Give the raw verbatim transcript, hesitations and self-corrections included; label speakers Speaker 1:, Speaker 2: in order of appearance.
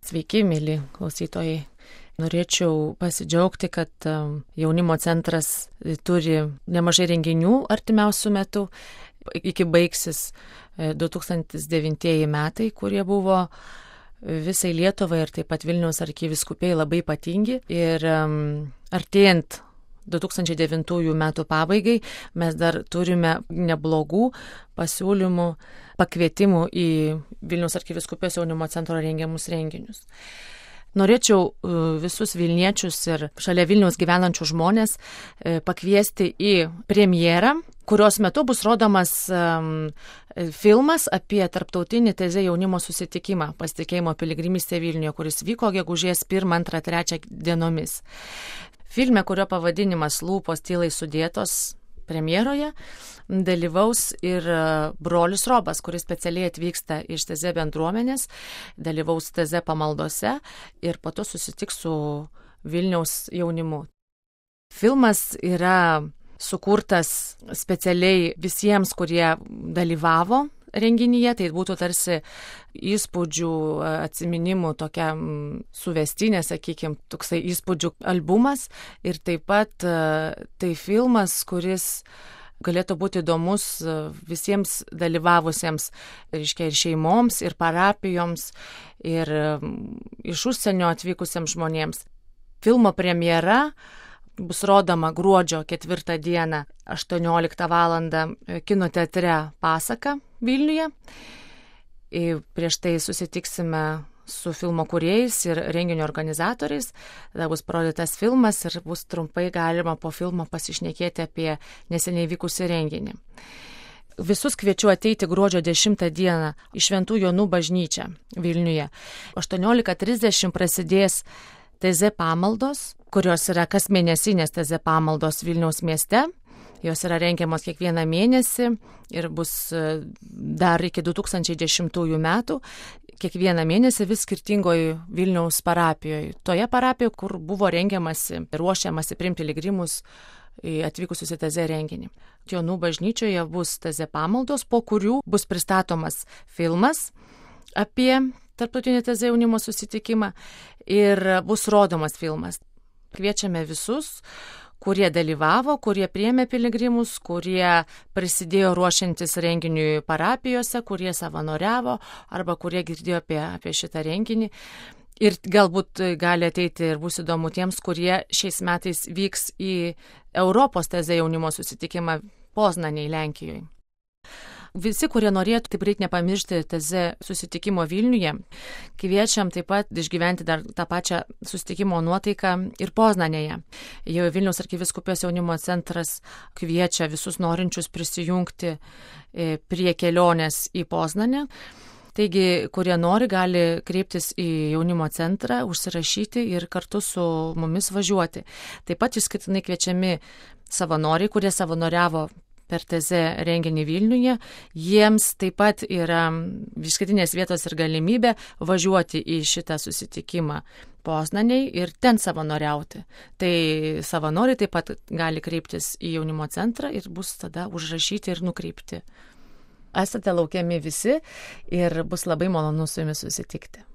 Speaker 1: Sveiki, mėly klausytojai. Norėčiau pasidžiaugti, kad jaunimo centras turi nemažai renginių artimiausių metų. Iki baigsis du tūkstančiai devintieji metai, kurie buvo visai Lietuvai ir taip pat Vilniaus arkivyskupijai labai ypatingi. Ir artėjant du tūkstančiai devintųjų metų pabaigai mes dar turime neblogų pasiūlymų, pakvietimų į Vilniaus arkivyskupijos jaunimo centro rengiamus renginius. Norėčiau visus Vilniečius ir šalia Vilniaus gyvenančių žmonės pakviesti į premjerą, kurios metu bus rodomas um, filmas apie tarptautinį Teze jaunimo susitikimą Pasitikėjimo piligrimystė Vilniuje, kuris vyko gegužės pirmą, antrą, trečią dienomis. Filme, kurio pavadinimas Lūpos tylai sudėtos, premjeroje dalyvaus ir brolis Robas, kuris specialiai atvyksta iš Teze bendruomenės, dalyvaus Teze pamaldose ir po to susitiks su Vilniaus jaunimu. Filmas yra sukurtas specialiai visiems, kurie dalyvavo renginyje, tai būtų tarsi įspūdžių, atsiminimų, tokia suvestinė, sakykime, toksai įspūdžių albumas ir taip pat tai filmas, kuris galėtų būti įdomus visiems dalyvavusiems, reiškia, ir šeimoms, ir parapijoms, ir iš užsienio atvykusiems žmonėms. Filmo premjera bus rodoma gruodžio ketvirtą dieną aštuonioliktą valandą kino teatre Pasaka Vilniuje. Ir prieš tai susitiksime su filmo kūrėjais ir renginio organizatoriais. Tada bus parodytas filmas ir bus trumpai galima po filmo pasišnekėti apie neseniai vykusį renginį. Visus kviečiu ateiti gruodžio dešimtą dieną į Šventų Jonų bažnyčią Vilniuje. aštuoniolika trisdešimt prasidės Teze pamaldos, kurios yra kasmėnesinės Teze pamaldos Vilniaus mieste. Jos yra rengiamos kiekvieną mėnesį ir bus dar iki du tūkstančiai dešimtųjų metų. Kiekvieną mėnesį vis skirtingoje Vilniaus parapijoje. Toje parapijoje, kur buvo rengiamasi, ruošiamasi priimti piligrimus atvykusius į Teze renginį. Jonų bažnyčioje bus Teze pamaldos, po kurių bus pristatomas filmas apie tarptautinį Teze jaunimo susitikimą ir bus rodomas filmas. Kviečiame visus, kurie dalyvavo, kurie priėmė piligrimus, kurie prisidėjo ruošiantis renginiui parapijose, kurie savanoriavo arba kurie girdėjo apie, apie šitą renginį. Ir galbūt gali ateiti ir bus įdomu tiems, kurie šiais metais vyks į Europos Teze jaunimo susitikimą Poznanėje, Lenkijoje. Visi, kurie norėtų, taip reikia nepamiršti Teze susitikimo Vilniuje, kviečiam taip pat išgyventi dar tą pačią susitikimo nuotaiką ir Poznanėje. Jau Vilniaus arkivyskupijos jaunimo centras kviečia visus norinčius prisijungti prie kelionės į Poznanę. Taigi, kurie nori, gali kreiptis į jaunimo centrą, užsirašyti ir kartu su mumis važiuoti. Taip pat išskirtinai kviečiami savanoriai, kurie savanoriavo per Teze renginį Vilniuje, jiems taip pat yra išskirtinės vietos ir galimybė važiuoti į šitą susitikimą Poznanėje ir ten savanoriauti. Tai savanoriai taip pat gali kreiptis į jaunimo centrą ir bus tada užrašyti ir nukreipti. Esate laukiami visi ir bus labai malonu su jumis susitikti.